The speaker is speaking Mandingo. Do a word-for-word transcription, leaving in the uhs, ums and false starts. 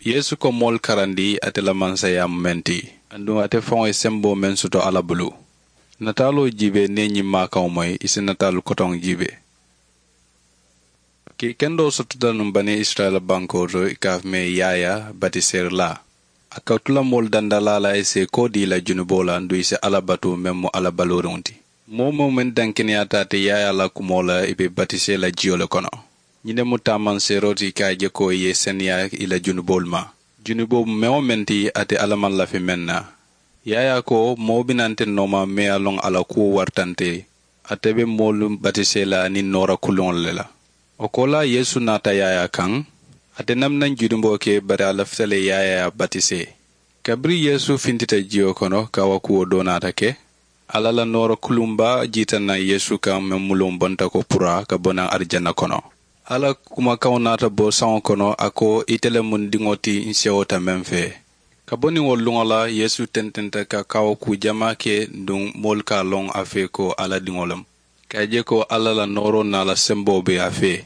Yeesu ko moolu karandi ate la mansayaa mu meŋ ti, aduŋ ate faŋo ye semboo meŋ soto alla bulu. Nataaloo jiibee niŋ i ye ñiŋ maakaŋo moyi i si nataalu kotoŋ jiibee. Kii kendoo sotota nuŋ bani isirayila bankoo to i ka a fo mee yaaya batiseerilaa. A ka tula moolu dandalaa la i si i koo dii i la junuboo la nduŋ i si alla batu meŋ mu alla balooriŋo ti. Moo-wo-moo meŋ dankeneyaata ate yaayaa la kumoo la i be batisee la jiyo le kono. Ñiŋ ne mu taamanseeroo ti i ka a je ko i ye i seneyaa i la junuboolu ma. Junuboo meŋ-wo-meŋ ti ate alla maŋ lafi meŋ na. Yaayaa ko moo bi naa nte nooma meŋ ye a loŋ a la kuwo warata nte ye. Ate be moolu batisee la aniŋ noora kuluŋolu le la. Wo koolaa yeesu naata yaayaa kaŋ. Ate naŋ naŋ junuboo ke bari a lafita le yaayaa ye a batisee. Kabiriŋ yeesu fintita jiyo kono kaawakuwo doo naata ke. Alla la noora kuluŋ baa jiita naŋ yeesu kaŋ meŋ mu luŋ bonta ko puraa ka bo naŋ arijana kono. Alla kumakaŋo naata bo saŋo kono a ko, ite le mu n diŋo ti n sewota meŋ fee. Ka bo niŋ wo luŋo la yeesu tententa ka kaawakuu jamaa ke. Nduŋ moolu ka a loŋ a fee ko alla diŋo le mu. Ka a je ko alla la nooroo naa la semboo be a fee.